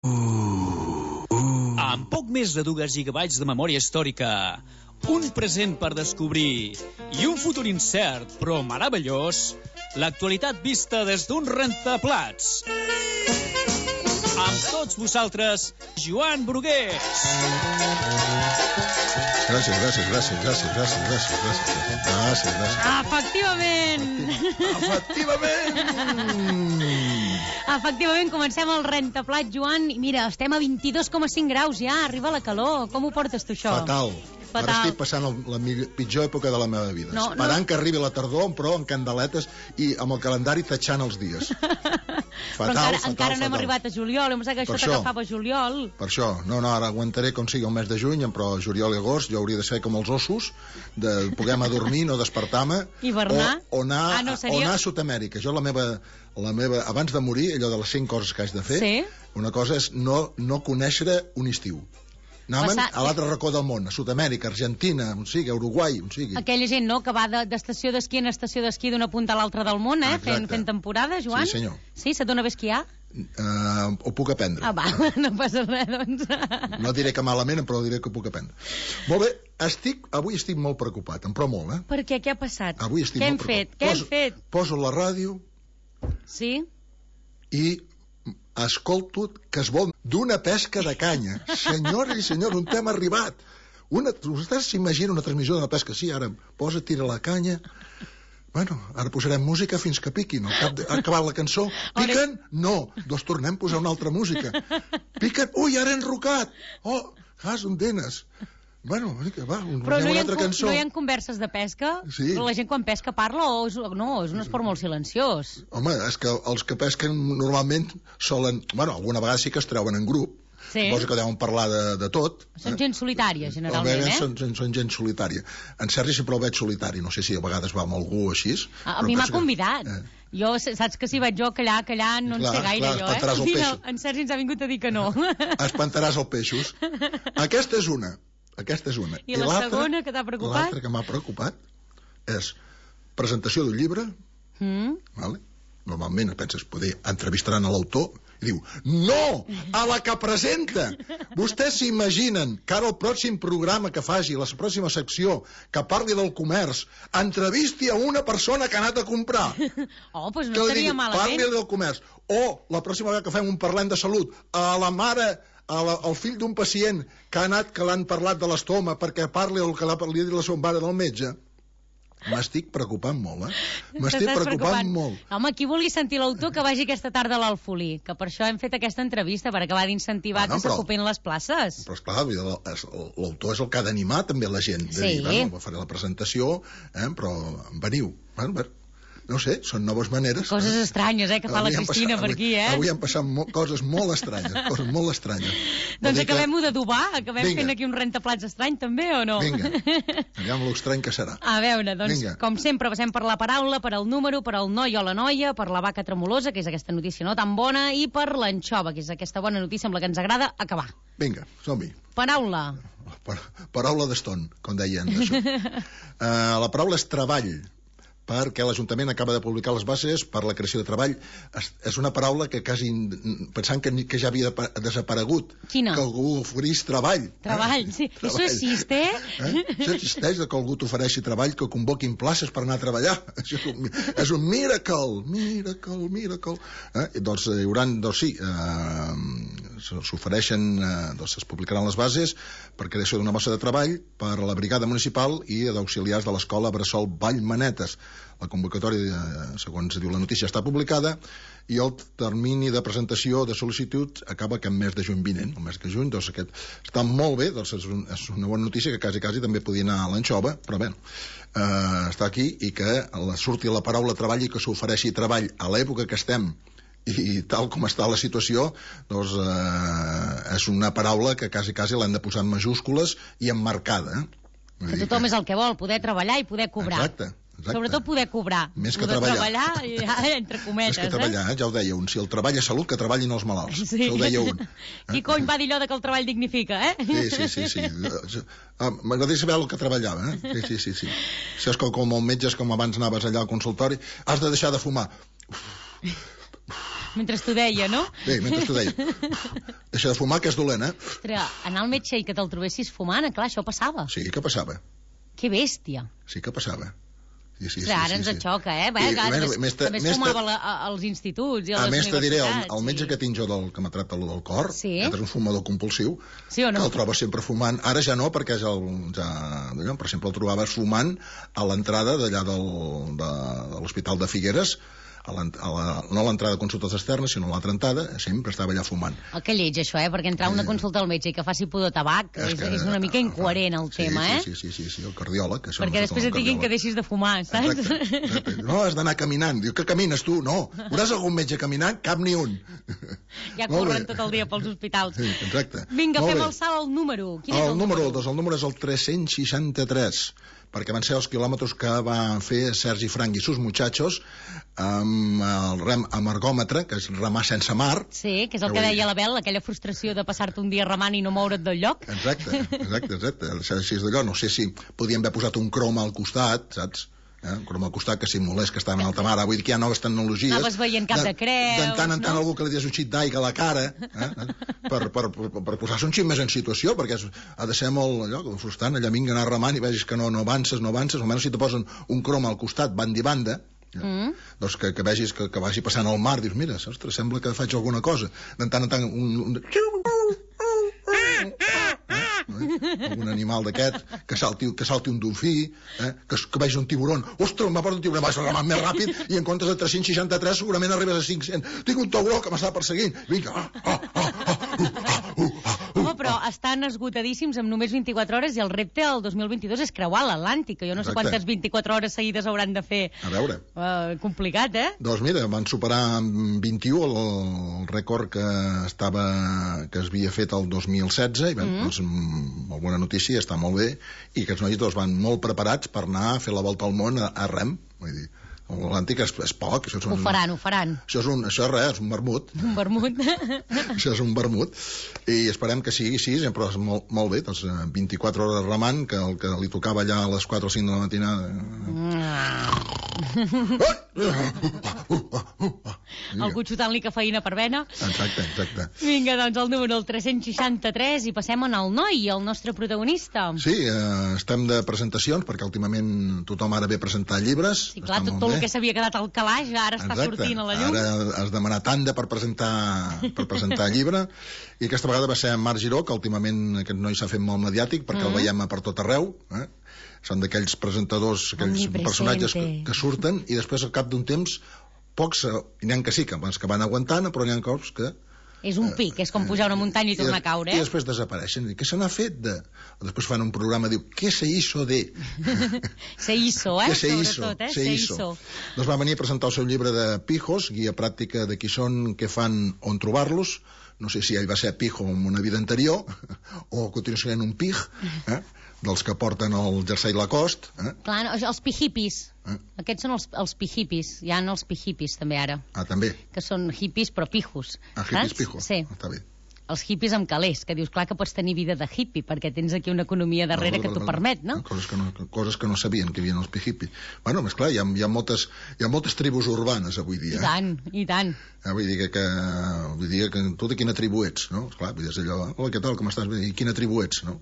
Amb poc més de 2 gigabytes de memòria històrica, un present per descobrir i un futur incert però meravellós, l'actualitat vista des d'un rentaplats. Amb tots vosaltres, Joan Brugués. Gràcies. Efectivament, comencem el rentaplats, Joan. I mira, estem a 22,5 graus ja, arriba la calor. Com ho portes tu, això? Fatal. Ara estic passant la pitjor època de la meva vida. Esperant que arribi la tardor, però amb candeletes i amb el calendari tatxant els dies. Fatal. Encara no hem arribat a juliol, hem pensat que això t'agafava juliol. Per això, ara aguantaré com sigui el mes de juny, però juliol i agost jo hauria de ser com els ossos, de poder dormir, no despertar-me, hivernar, o anar a Sud-amèrica. Jo la meva, abans de morir, allò de les 5 coses que haig de fer, una cosa és no conèixer un estiu. Anàvem a l'altre racó del món, a Sud-amèrica, Argentina, on sigui, Uruguai, on sigui. Aquella gent, no?, que va d'estació d'esquí en estació d'esquí d'una punta a l'altra del món, fent temporada, Joan? Sí, senyor. Sí, se't dona bé esquiar? Ho puc aprendre. Va, no passa res, doncs. No diré que malament, però diré que ho puc aprendre. Molt bé, avui estic molt preocupat, però molt, Per què? Què ha passat? Avui estic molt preocupat. Què hem fet? Poso la ràdio... Sí? I escolto que es vol d'una pesca de canya. Senyores i senyors, on hem arribat? Vostès s'imaginen una transmissió d'una pesca? Sí, ara tira la canya... Bueno, ara posarem música fins que piquin. Ha acabat la cançó. Piquen? No. Doncs tornem a posar una altra música. Piquen? Ui, ara he enrocat. Oh, gas, on denes? Bueno, va, però no hi ha converses de pesca? Sí. Però la gent quan pesca parla o no? És un esport molt silenciós. Home, és que els que pesquen normalment solen... Bueno, alguna vegada sí que es treuen en grup. Suposo que deuen parlar de tot. Són gent solitària, generalment, Són gent solitària. En Sergi sempre el veig solitari. No sé si a vegades va amb algú així. A mi m'ha convidat. Jo, saps que si vaig jo callar no en sé gaire, jo, eh? En Sergi ens ha vingut a dir que no. Espantaràs els peixos. Aquesta és una. I la segona que t'ha preocupat? L'altra que m'ha preocupat és presentació d'un llibre, vale? Normalment penses, entrevistaran a l'autor, i diu, no, a la que presenta. Vostès s'imaginen que ara el pròxim programa que faci, la pròxima secció, que parli del comerç, entrevisti a una persona que ha anat a comprar. Oh, doncs no estaria malament. Parli del comerç. O, la pròxima vegada que fem un parlem de salut, a la mare... el fill d'un pacient que l'han parlat de l'estoma perquè parli el que li ha dit la seva mare del metge. M'estic preocupant molt, M'estic preocupant molt. Home, qui vulgui sentir l'autor que vagi aquesta tarda a l'Alfolí, que per això hem fet aquesta entrevista, per acabar d'incentivar que s'ocupin les places. Però esclar, l'autor és el que ha d'animar també la gent, de dir, bueno, faré la presentació, però veniu, no sé, són noves maneres. Coses estranyes, que fa la Cristina per aquí, Avui han passat coses molt estranyes, Doncs acabem-ho d'adobar, acabem fent aquí un rentaplats estrany, també, o no? Vinga, aviam l'estrany que serà. A veure, doncs, com sempre, passem per la paraula, per el número, per el noi o la noia, per la vaca tremolosa, que és aquesta notícia no tan bona, i per l'anxova, que és aquesta bona notícia amb la que ens agrada acabar. Vinga, som-hi. Paraula. Paraula d'eston, com deien. La paraula és treball, perquè l'Ajuntament acaba de publicar les bases per la creació de treball. És una paraula que quasi, pensant que ja havia desaparegut. Quina? Que algú oferís treball. Treball, sí. Això existe? Això existeix, que algú t'ofereixi treball, que convoquin places per anar a treballar. És un miracle. Doncs hi haurà, s'ofereixen, es publicaran les bases per creació d'una bossa de treball per a la brigada municipal i d'auxiliars de l'escola Bressol Vallmanetes. La convocatòria, segons diu la notícia, està publicada i el termini de presentació de sol·licituds acaba que en mes de juny vinent, el mes de juny, doncs aquest està molt bé, doncs és una bona notícia que quasi podia anar a l'anxova, però bé, està aquí i que surti la paraula treball i que s'ofereixi treball a l'època que estem i tal com està la situació, doncs és una paraula que quasi l'hem de posar en majúscules i emmarcada. Que tothom és el que vol, poder treballar i poder cobrar. Exacte. Sobretot poder cobrar. Més que treballar. Entre cometes. Més que treballar, ja ho deia un. Si el treball és salut, que treballin els malalts. Sí. Això ho deia un. Qui cony va dir allò que el treball dignifica, Sí. M'agradaria saber el que treballava, Sí. Si és com el metge, com abans anaves allà al consultori, has de deixar de fumar. Mentre t'ho deia, no? Bé, mentre t'ho deia. Deixa de fumar, que és dolent, eh? Ostres, anar al metge i que te'l trobessis fumant, clar, això passava. Sí que passava. Que bèstia. Sí que passava. Sí, ara ens xoca, eh? També es fumava als instituts i a les universitats. A més, te diré, el metge que tinc jo que m'ha tractat del cor, que és un fumador compulsiu, que el troba sempre fumant. Ara ja no, perquè per exemple, el trobaves fumant a l'entrada d'allà de l'Hospital de Figueres, no a l'entrada de consultes externes, sinó a l'altra entrada, sempre estava allà fumant. Que lleig, això, perquè entrar a una consulta al metge i que faci pudor tabac és una mica incoherent, el tema, eh? Sí, el cardiòleg. Perquè després et diguin que deixis de fumar, saps? Exacte. No, has d'anar caminant. Diu, que camines tu? No. Veuràs algun metge caminant? Cap ni un. Ja corren tot el dia pels hospitals. Sí, exacte. Vinga, fem el salt al número. Quin és el número? El número és el 363, perquè van ser els quilòmetres que va fer Sergi Frank i sus muchachos amb el rem amb ergòmetre, que és remar sense mar. Sí, que és el que deia l'Abel, aquella frustració de passar-te un dia remant i no moure't del lloc. Exacte. Així d'allò, no sé si podíem haver posat un croma al costat, saps? Un croma al costat, que simulés que estava en alta mar. Vull dir que hi ha noves tecnologies. Anaves veient cap de creus, de tant en tant algú que li dius un xit d'aigua a la cara, per posar-se un xit més en situació, perquè ha de ser molt frustrant, allà vinga anar remant i vegis que no avances, almenys si te posen un croma al costat, banda i banda, doncs que vegis que vagi passant al mar, dius, mira, ostres, sembla que faig alguna cosa. De tant en tant algun animal d'aquest, que salti un dofí, que vegi un tiburon. Ostres, m'ha portat un tiburon, vas remant més ràpid i en comptes de 363 segurament arribes a 500. Tinc un tauró que m'està perseguint. Vinga, Home, però estan esgotadíssims amb només 24 hores i el repte al 2022 és creuar l'Atlàntic, que jo no sé quantes 24 hores seguides hauran de fer. A veure. Complicat, eh? Doncs mira, van superar amb 21 el rècord que es havia fet el 2016 i doncs molt bona notícia, està molt bé, i aquests nois van molt preparats per anar a fer la volta al món a rem, vull dir, l'Atlàntic és poc. Ho faran. Això és res, és un vermut. Un vermut. Això és un vermut. I esperem que sigui així, però és molt bé, doncs 24 hores remant, que el que li tocava allà a les 4 o 5 de la matinada... Algú xutant-li cafeïna per vena. Exacte. Vinga, doncs el número 363 i passem al noi, el nostre protagonista. Sí, estem de presentacions, perquè últimament tothom ara ve a presentar llibres. Sí, clar, tot el que s'havia quedat al calaix ara està sortint a la llum. Ara has demanat tanda per presentar llibre, i aquesta vegada va ser en Marc Giró, que últimament aquest noi s'ha fet molt mediàtic, perquè el veiem per tot arreu, són d'aquells presentadors, aquells personatges que surten, i després al cap d'un temps pocs, n'hi ha que sí, que van aguantant, però n'hi ha cops que... És un pic, és com pujar una muntanya i tornar a caure. I després desapareixen. Què se n'ha fet de...? Després fan un programa, diu, què se hizo de...? Se hizo, sobretot, se hizo. Doncs va venir a presentar el seu llibre de pijos, guia pràctica de qui són, què fan, on trobar-los. No sé si ell va ser pijo en una vida anterior, o continua sent un pig, dels que porten el jersei Lacoste. Clar, els pijipis. Aquests són els pijipis. Hi ha els pijipis també ara. També. Que són hippies però pijos. Hippies pijos. Sí. Està bé. Els hippies amb calés, que dius, clar que pots tenir vida de hippie, perquè tens aquí una economia darrere que t'ho permet, no? Coses que no sabien que hi havia els hippies. Bueno, més clar, hi ha moltes tribus urbanes avui dia. I tant. Vull dir que tu de quina tribu ets, no? Esclar, vull dir, és allò, hola, què tal, com estàs? I quina tribu ets, no?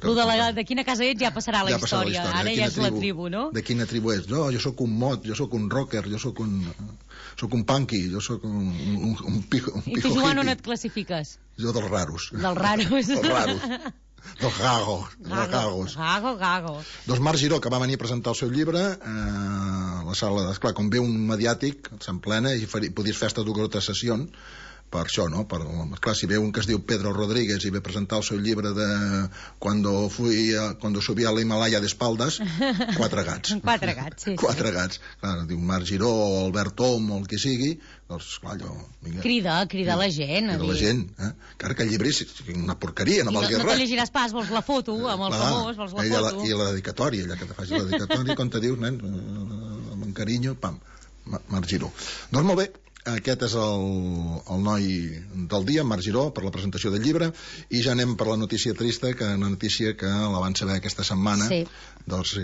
De quina casa ets ja passarà la història. Ara ja és la tribu, no? De quina tribu ets? No, jo sóc un mod, jo sóc un rocker, jo sóc un punky, jo sóc un pijo hippie. I tu, Joan, on et classifiques? Jo dels raros. Dels raros. Dels gagos. Gago. Doncs Marc Giró, que va venir a presentar el seu llibre a la sala, esclar, com ve un mediàtic, s'emplena i podies fer hasta 2 o 3 sessions per això, no? Clar, si ve un que es diu Pedro Rodríguez i ve a presentar el seu llibre de cuando subí a l'Himalaya d'espaldes, 4 gats. 4 gats, sí. 4 gats. Clar, diu Marc Giró o Albert Tom o el que sigui, doncs, clar, allò... Crida la gent. Crida la gent, Encara que el llibre és una porqueria, no valgui res. No te llegiràs pas, vols la foto, amb el famós, vols la foto. I la dedicatòria, allà que te faci la dedicatòria, quan te dius, nen, amb carinyo, pam, Marc Giró. Doncs molt bé. Aquest és el noi del dia, Marc Giró, per la presentació del llibre, i ja anem per la notícia trista, una notícia que la van saber aquesta setmana, doncs,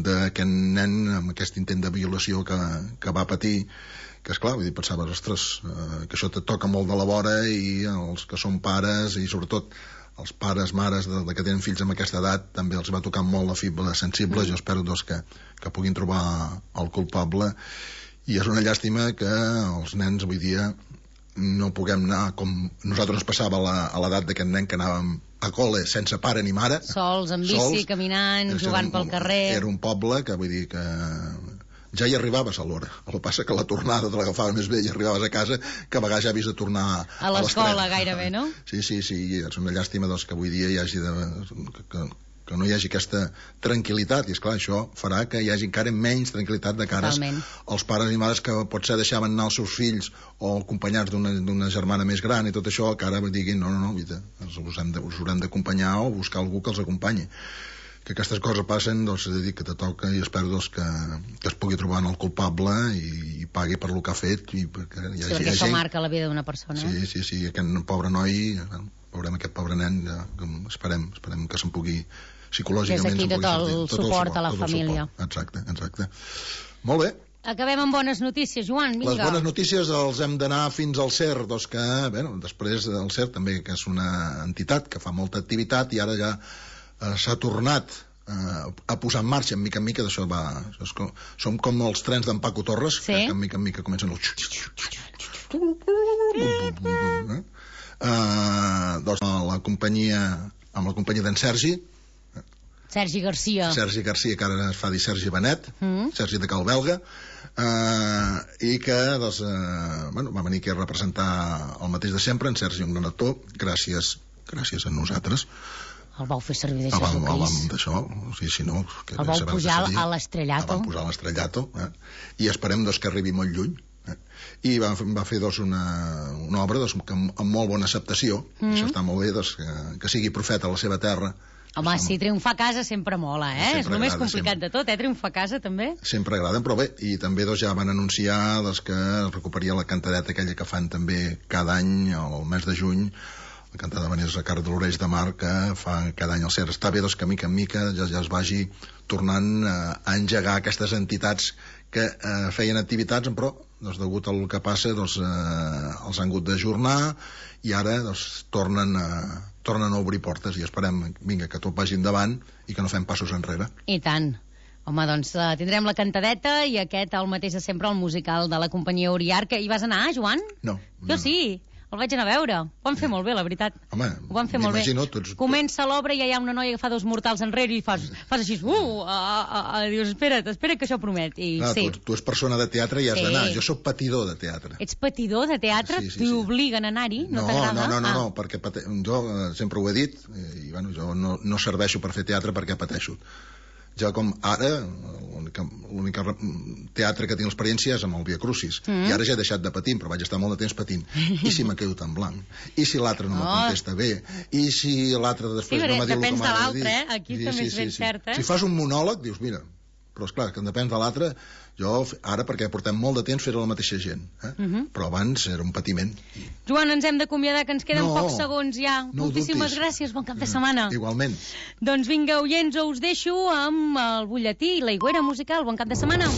d'aquest nen amb aquest intent de violació que va patir, que esclar, vull dir, pensaves, ostres, que això te toca molt de la vora, i els que són pares, i sobretot els pares, mares de que tenen fills amb aquesta edat, també els va tocar molt la fibra sensible. Jo espero doncs, que puguin trobar el culpable, i és una llàstima que els nens avui dia no puguem anar com nosaltres ens passava a l'edat d'aquest nen que anàvem a col·le sense pare ni mare, sols, amb bici, caminant, jugant pel carrer. Era un poble que, vull dir, que ja hi arribaves a l'hora. El que passa que la tornada te l'agafaves més bé i arribaves a casa, que a vegades ja havies de tornar a l'escola gairebé, no? Sí, és una llàstima doncs, que avui dia hi hagi que no hi hagi aquesta tranquil·litat, i esclar, això farà que hi hagi encara menys tranquil·litat de cara als pares i mares que potser deixaven anar els seus fills o acompanyats d'una germana més gran i tot això, que ara diguin no, us haurem d'acompanyar o buscar algú que els acompanyi. Que aquestes coses passen, doncs he de dir que te toca, i espero doncs, que es pugui trobar en el culpable i pagui per lo que ha fet, i perquè hi hagi, perquè això marca la vida d'una persona. Sí, aquest pobre noi, veurem aquest pobre nen, esperem que se'n pugui psicològicament... Des d'aquí tot el suport a la família. Exacte. Molt bé. Acabem amb bones notícies, Joan, vinga. Les bones notícies els hem d'anar fins al CER, doncs que, després del CER també, que és una entitat que fa molta activitat, i ara ja s'ha tornat a posar en marxa, en mica en mica, d'això va... Som com els trens d'en Paco Torres, que en mica en mica comencen doncs amb la companyia d'en Sergi Garcia, que ara es fa dir Sergi Benet, Sergi de Cal Belga, i que va venir aquí a representar el mateix de sempre. En Sergi, un gran actor, gràcies a nosaltres. El vau fer servir de Jesucrist. El vau pujar a l'estrellato. El vam pujar a l'estrellato, i esperem que arribi molt lluny. I va fer una obra amb molt bona acceptació. Això està molt bé, que sigui profeta a la seva terra. Home, sí, triomfar a casa sempre mola, és el més complicat de tot, triomfar a casa també. Sempre agrada, però bé, i també ja van anunciar que es recuperaria la cantadeta aquella que fan també cada any al mes de juny, la cantada de Vanessa Carr de l'Oreix de Mar, que fa cada any el CER. Està bé que mica en mica ja es vagi tornant a engegar aquestes entitats que feien activitats, però degut al que passa els han hagut d'ajornar, i ara tornen a obrir portes, i esperem que tot vagi endavant i que no fem passos enrere. I tant. Home, doncs tindrem la cantadeta i aquest, el mateix de sempre, el musical de la companyia Uriar. Que hi vas anar, Joan? No. Jo sí. El vaig anar a veure. Ho van fer molt bé, la veritat. Home, ho van fer molt bé. Comença l'obra i ja hi ha una noia que fa dos mortals enrere i fas així, dius, espera't que això promet. I sí. Tu ets persona de teatre i has d'anar. Jo sóc patidor de teatre. Ets patidor de teatre? T'hi obliguen a anar-hi? No t'agrada? No, perquè jo sempre ho he dit, i jo no serveixo per fer teatre perquè pateixo. Jo, com ara, l'únic teatre que tinc l'experiència és amb el Via Crucis, i ara ja he deixat de patir, però vaig estar molt de temps patint. I si me quedo tan blanc? I si l'altre no me contesta bé? I si l'altre després no me diu depèn com de ha de dir? l'altre, aquí també és ben cert, Si fas un monòleg, dius, mira, però esclar, que depèn de l'altre. Jo ara, perquè portem molt de temps fer la mateixa gent, però abans era un patiment. Joan, ens hem d'acomiadar, que ens queden pocs segons ja. Moltíssimes gràcies, bon cap de setmana. Igualment. Doncs vinga, oients, us deixo amb el butlletí i la higuera musical. Bon cap de setmana.